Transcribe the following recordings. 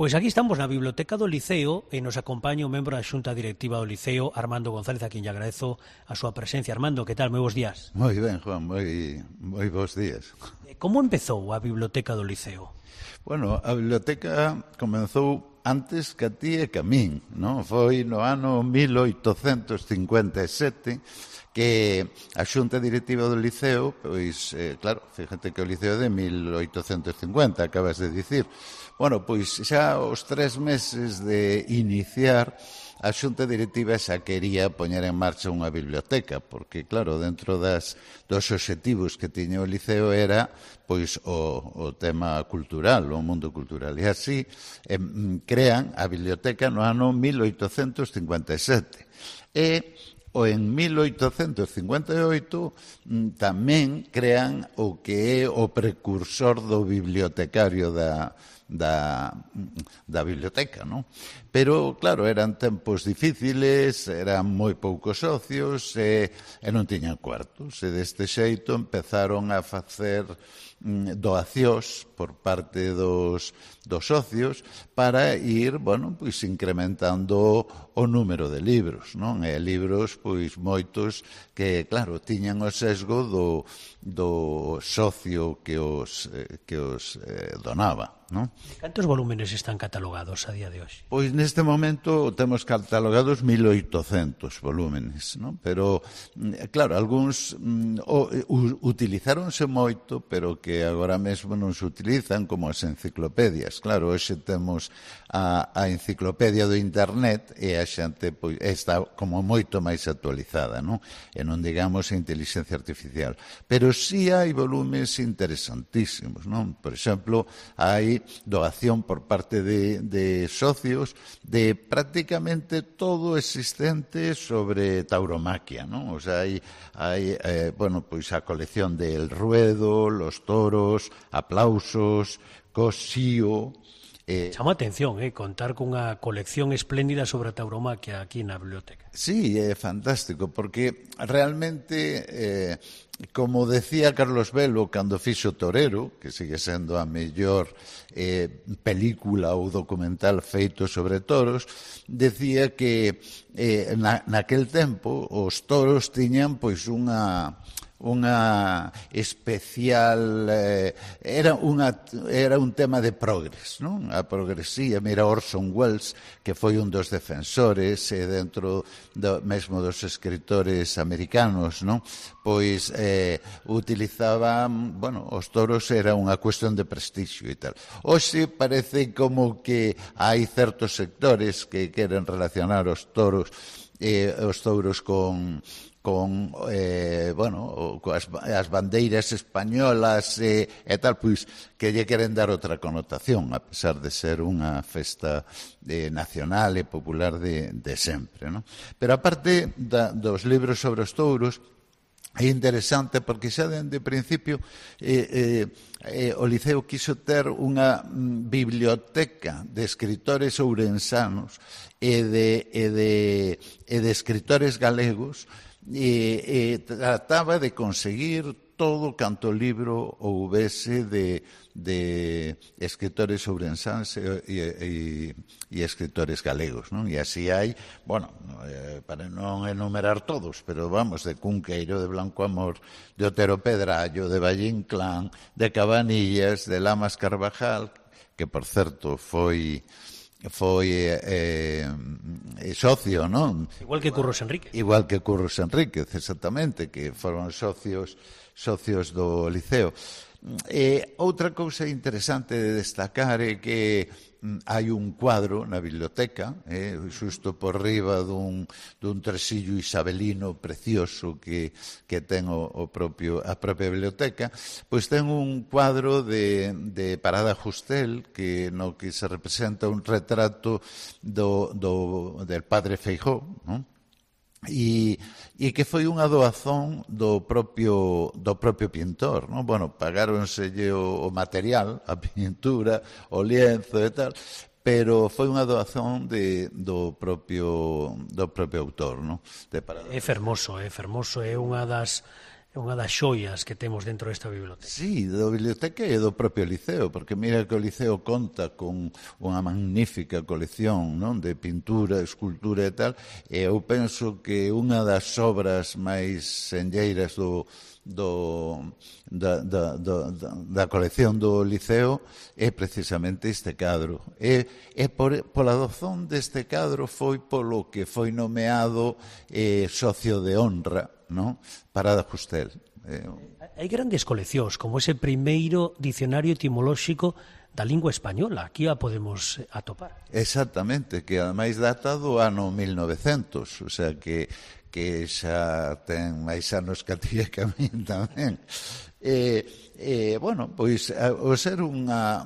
Pois aquí estamos na Biblioteca do Liceo e nos acompaña o membro da Xunta Directiva do Liceo, Armando González, a quien lle agradezo a súa presencia. Armando, que tal? Moi bons días. Moi ben, Juan, moi bons días. Como empezou a Biblioteca do Liceo? Bueno, a biblioteca comenzou antes que a ti e que a min, non? Foi no ano 1857 que a Xunta Directiva do Liceo, pois, claro, fíjate que o Liceo é de 1850, acabas de dicir. Bueno, pois xa os 3 meses de iniciar, a Xunta Directiva xa quería poñer en marcha unha biblioteca, porque, claro, dentro dos obxectivos que tiña o Liceo era pois o tema cultural, o mundo cultural. E así crean a biblioteca no ano 1857. E en 1858 tamén crean o que é o precursor do bibliotecario da biblioteca, non? Pero, claro, eran tempos difíciles, eran moi poucos socios e non tiñan cuartos. E deste xeito empezaron a facer doacións por parte dos socios para ir, bueno, pois incrementando o número de libros, non? E libros, pois, moitos que, claro, tiñan o sesgo do socio que os donaba, non? Cantos volúmenes están catalogados a día de hoxe? Pois neste momento temos catalogados 1800 volúmenes, non? Pero, claro, algúns utilizáronse moito, pero que agora mesmo non se utilizan, como as enciclopedias. Claro, hoxe temos a enciclopedia do internet e a xente pois, está como moito máis actualizada, non? E non digamos a inteligencia artificial. Pero sí hai volumes interesantísimos, non? Por exemplo, hai doación por parte de socios de prácticamente todo existente sobre tauromaquia, non? O sea, hai bueno, pois a colección del ruedo, los toros, aplausos, cosío. Chama a atención, contar cunha colección espléndida sobre a tauromaquia aquí na biblioteca. Sí, é fantástico, porque realmente, como decía Carlos Velo cando fixo Torero, que sigue sendo a mellor película ou documental feito sobre toros, decía que naquel tempo os toros tiñan pois unha especial era un tema de progres, non? A progresía, mira Orson Welles, que foi un dos defensores dentro mesmo dos escritores americanos, non? Pois utilizaban, bueno, os toros era unha cuestión de prestixio e tal. Hoxe parece como que hai certos sectores que queren relacionar os touros bueno, as bandeiras españolas e tal, pois que lle queren dar outra connotación, a pesar de ser unha festa nacional e popular de sempre, non? Pero aparte dos libros sobre os touros, é interesante porque xa dende principio o Liceo quiso ter unha biblioteca de escritores ourensanos e de escritores galegos e trataba de conseguir todo canto libro houvese de escritores ourensáns e escritores galegos, non? E así hai, bueno, para non enumerar todos, pero vamos, de Cunqueiro, de Blanco Amor, de Otero Pedrallo, de Valle Inclán, de Cabanillas, de Lamas Carvajal, que, por certo, foi socio, non? Igual que Curros Enríquez. Igual que Curros Enríquez, exactamente, que foron socios do Liceo. Outra cousa interesante de destacar é que hai un cuadro na biblioteca, xusto por riba dun tresillo isabelino precioso que ten a propia biblioteca, pois ten un cuadro de Parada Justel no que se representa un retrato del padre Feijóo, non? E que foi unha doazón do propio pintor, non? Bueno, pagáronselle o material, a pintura, o lienzo e tal, pero foi unha doazón do propio autor, non? É fermoso, é unha das é unha das xoias que temos dentro desta biblioteca. Sí, da biblioteca e do propio Liceo, porque mira que o Liceo conta con unha magnífica colección, non, de pintura, escultura e tal, e eu penso que unha das obras máis senlleiras da colección do Liceo é precisamente este cadro. E pola razón deste cadro foi polo que foi nomeado socio de honra, non, Parada Justel. Hai grandes coleccións, como ese primeiro dicionario etimolóxico da lingua española. Aquí a podemos atopar. Exactamente, que ademais data do ano 1900, o sea que xa ten máis anos que a ti e que a min tamén. Bueno, pois o ser unha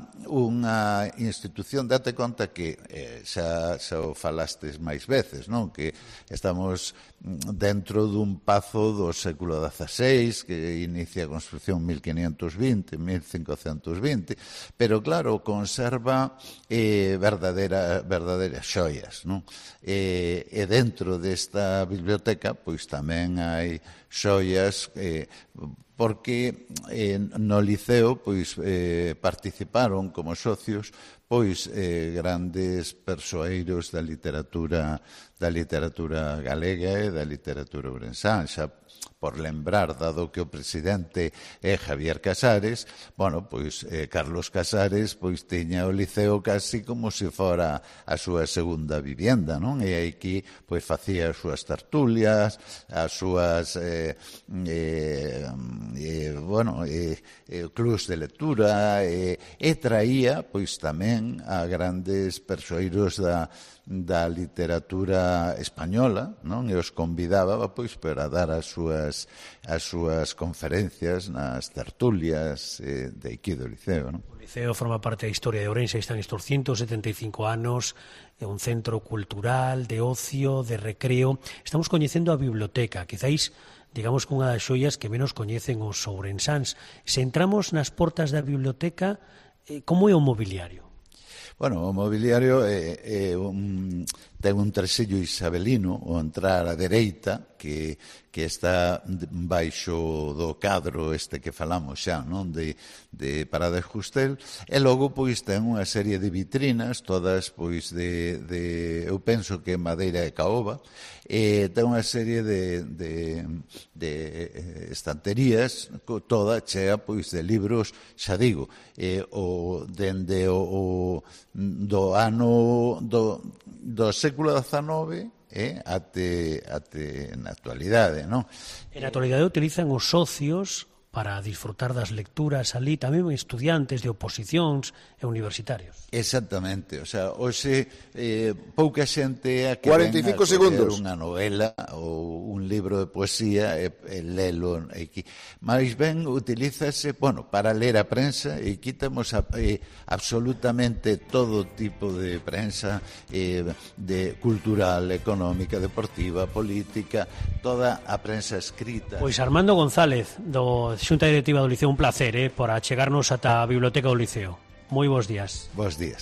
institución, date conta que xa o falastes máis veces, non? Que estamos dentro dun pazo do século XVI que inicia a construción 1520, 1520, pero claro, conserva verdadeiras xoias, non? E dentro desta biblioteca pois tamén hai xoias porque no Liceo pois participaron como socios pois grandes persoeiros da literatura galega e da literatura ourensán, xa por lembrar, dado que o presidente é Javier Casares, bueno, pois Carlos Casares pois tiña o Liceo casi como se fora a súa segunda vivienda, non? E aquí pois facía as súas tertulias, as súas clubs de lectura e traía pois tamén a grandes persoeiros da literatura española, non? E os convidaba pois para dar as súas conferencias nas tertulias de aquí do Liceo, non? O Liceo forma parte da historia de Ourense, están estes 175 anos, é un centro cultural, de ocio, de recreo. Estamos coñecendo a biblioteca, quizáis digamos que unha das xoias que menos coñecen os ourensáns. Se entramos nas portas da biblioteca, como é o mobiliario? Bueno, o mobiliario ten un tresillo isabelino ao entrar á dereita que está baixo do cadro este que falamos xa, non, de Parada Justel, e logo pois ten unha serie de vitrinas todas pois eu penso que madeira e caoba, e ten unha serie de estanterías toda chea pois de libros, xa digo, dende do ano do século XIX até na actualidade, non? En actualidade utilizan os socios para disfrutar das lecturas ali, tamén estudiantes de oposicións e universitarios. Exactamente, o sea, hoxe pouca xente é a que 45 segundos unha novela ou un libro de poesía e lelo aquí. Mais ben utilízase, bueno, para ler a prensa, e aquí temos absolutamente todo tipo de prensa de cultural, económica, deportiva, política, toda a prensa escrita. Pois Armando González, do Xunta Directiva do Liceo, un placer por achegarnos ata a Biblioteca do Liceo. Moi bons días. Bos días.